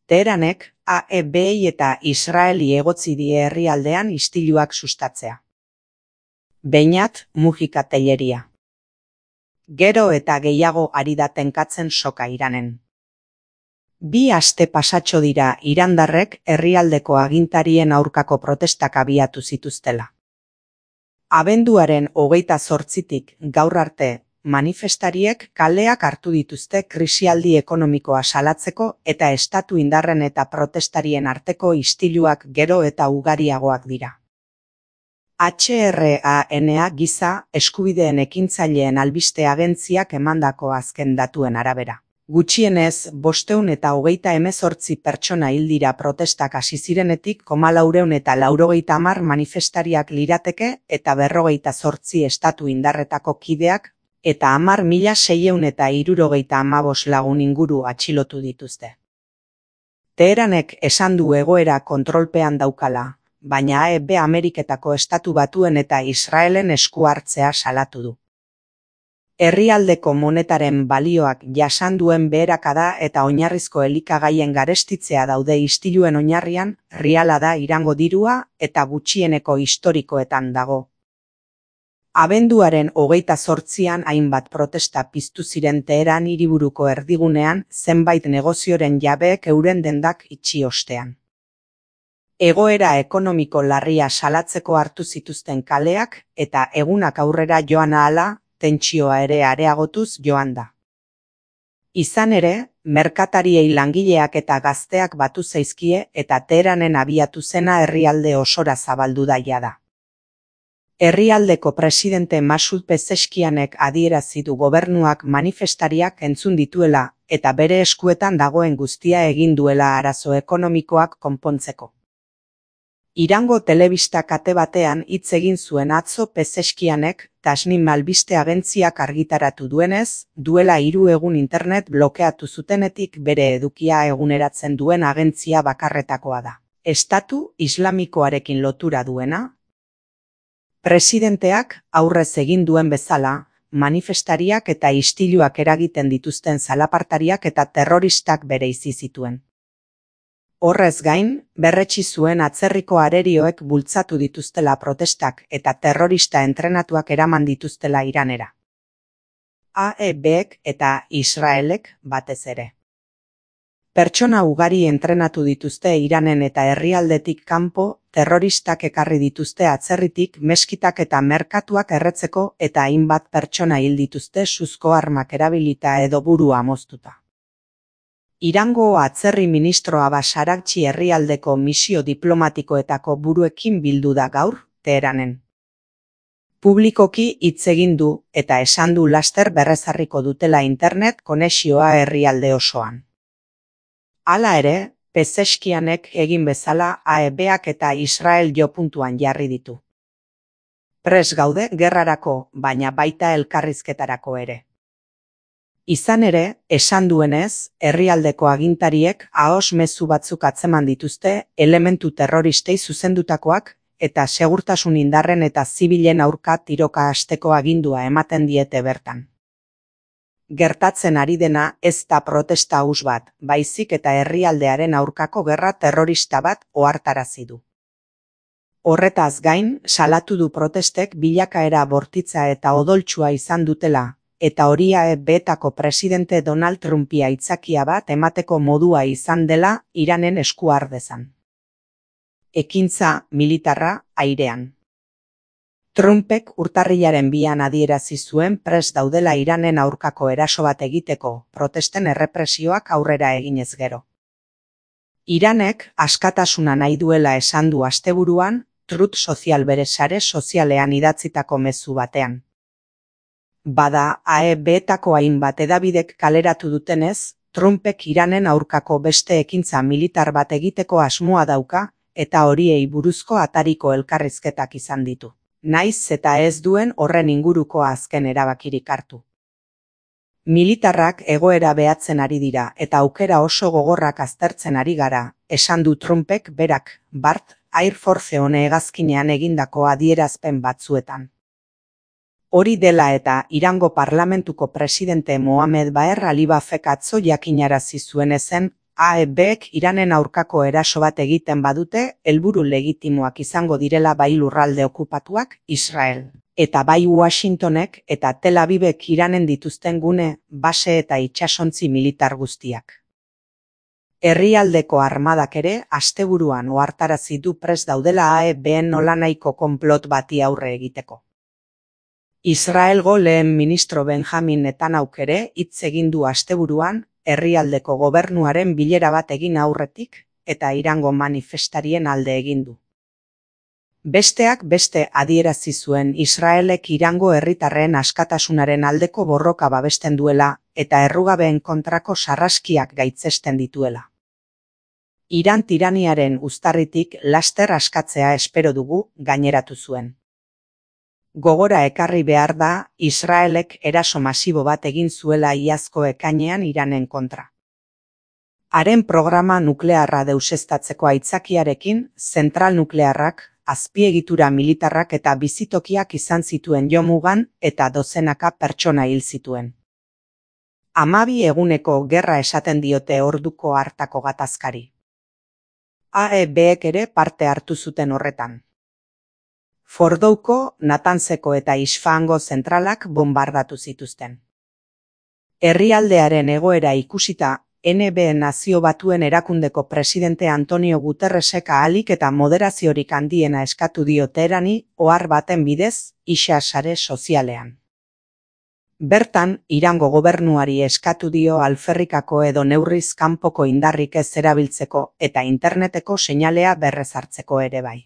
Teheranek AEBi eta Israeli egotzi die herrialdean istiluak sustatzea. Beñat Mujika Telleria. Gero eta gehiago ari da tenkatzen soka Iranen. 2 aste pasatxo dira irandarrek herrialdeko agintarien aurkako protestak abiatu zituztela. Abenduaren 28tik gaur arte, manifestariek kaleak hartu dituzte krisialdi ekonomikoa salatzeko eta estatu indarren eta protestarien arteko istiluak gero eta ugariagoak dira. HRANA giza eskubideen ekintzaileen albiste agentziak emandako azken datuen arabera. Gutxienez, 528 pertsona hil dira protestak hasi zirenetik 490 manifestariak lirateke eta 48 estatu indarretako kideak eta 10.675 lagun inguru atxilotu dituzte. Teheranek esan du egoera kontrolpean daukala, baina AEB Ameriketako Estatu Batuen eta Israelen esku hartzea salatu du. Herrialdeko monetaren balioak jasan duen beherakada eta oinarrizko elikagaien garestitzea daude istiluen oinarrian, riala da Irango dirua eta gutxieneko historikoetan dago. Abenduaren 28an hainbat protesta piztu ziren Teheran hiriburuko erdigunean zenbait negozioren jabeek euren dendak itxi ostean. Egoera ekonomiko larria salatzeko hartu zituzten kaleak eta egunak aurrera joan ahala, tentsioa ere areagotuz joan da. Izan ere, merkatariei langileak eta gazteak batu zaizkie eta Teheranen abiatu zena herrialde osora zabaldu da jada. Herrialdeko presidente Masud Pezeshkianek adierazi du gobernuak manifestariak entzun dituela eta bere eskuetan dagoen guztia egin duela arazo ekonomikoak konpontzeko. Irango telebista kate batean hitz egin zuen atzo Pezeshkianek, Tasnim albiste agentziak argitaratu duenez, duela 3 egun internet blokeatu zutenetik bere edukia eguneratzen duen agentzia bakarretakoa da. Estatu Islamikoarekin lotura duena? Presidenteak aurrez egin duen bezala, manifestariak eta istiluak eragiten dituzten zalapartariak eta terroristak bereizi zituen. Horrez gain, berretsi zuen atzerriko arerioek bultzatu dituztela protestak eta terrorista entrenatuak eraman dituztela Iranera. AEBek eta Israelek batez ere. Pertsona ugari entrenatu dituzte Iranen eta herrialdetik kanpo, terroristak ekarri dituzte atzerritik meskitak eta merkatuak erretzeko eta hainbat pertsona hil dituzte suzko armak erabilita edo burua moztuta. Irango atzerri ministro Abbas Araghchi herrialdeko misio diplomatikoetako buruekin bildu da gaur, Teheranen. Publikoki hitz egin du eta esan du laster berrezarriko dutela internet konexioa herrialde osoan. Hala ere, Pezeshkianek egin bezala AEBak eta Israel jopuntuan jarri ditu. Pres gaude gerrarako, baina baita elkarrizketarako ere. Izan ere, esan duenez, herrialdeko agintariek ahos mezu batzuk atzeman dituzte elementu terroristei zuzendutakoak eta segurtasun indarren eta zibilen aurka tiroka hasteko agindua ematen diete bertan. Gertatzen ari dena ez da protesta huts bat, baizik eta herrialdearen aurkako gerra terrorista bat ohartarazi du. Horretaz gain, salatu du protestek bilakaera bortitza eta odoltsua izan dutela, eta hori AEBetako presidente Donald Trumpi aitzakia bat emateko modua izan dela Iranen esku har dezan. Ekintza militarra airean. Trumpek urtarrilaren 2an adierazi zuen prest daudela Iranen aurkako eraso bat egiteko, protesten errepresioak aurrera eginez gero. Iranek askatasuna nahi duela esan du asteburuan, Truth Social bere sare sozialean idatzitako mezu batean. Bada, AEBetako hainbat hedabidek kaleratu dutenez, Trumpek Iranen aurkako beste ekintza militar bat egiteko asmoa dauka, eta horiei buruzko atariko elkarrizketak izan ditu. Naiz eta ez duen horren inguruko azken erabakirik hartu. Militarrak egoera behatzen ari dira eta aukera oso gogorrak aztertzen ari gara, esan du Trumpek berak, bart, Air Force One hegazkinean egindako adierazpen batzuetan. Hori dela eta Irango parlamentuko presidente Mohamed Baher Alibafek atzo jakinarazi zuen ezen AEBek Iranen aurkako eraso bat egiten badute, helburu legitimoak izango direla bai lurralde okupatuak, Israel, eta bai Washingtonek eta Tel Avivek Iranen dituzten gune, base eta itsasontzi militar guztiak. Herrialdeko armadak ere asteburuan ohartarazi du prest daudela AEBen nolanahiko konplot bati aurre egiteko. Israelgo lehen ministro Benjamin Netanyahuk ere hitz egin du asteburuan herrialdeko gobernuaren bilera bat egin aurretik eta Irango manifestarien alde egin du. Besteak beste adierazi zuen Israelek Irango herritarren askatasunaren aldeko borroka babesten duela eta errugabeen kontrako sarraskiak gaitzesten dituela. Iran tiraniaren uztarritik laster askatzea espero dugu, gaineratu zuen. Gogora ekarri behar da, Israelek eraso masibo bat egin zuela iazko ekainean Iranen kontra. Haren programa nuklearra deuseztatzeko aitzakiarekin, zentral nuklearrak, azpiegitura militarrak eta bizitokiak izan zituen jomugan eta dozenaka pertsona hil zituen. 12 eguneko gerra esaten diote orduko hartako gatazkari. AEBek ere parte hartu zuten horretan. Fordouko, Natanzeko eta Isfahango zentralak bombardatu zituzten. Herrialdearen egoera ikusita, NB Nazio Batuen Erakundeko presidente Antonio Guterresek ahalik eta moderaziorik handiena eskatu dio Teherani ohar baten bidez, Ixa sare sozialean. Bertan, Irango gobernuari eskatu dio alferrikako edo neurriz kanpoko indarrik ez erabiltzeko eta interneteko seinalea berrezartzeko ere bai.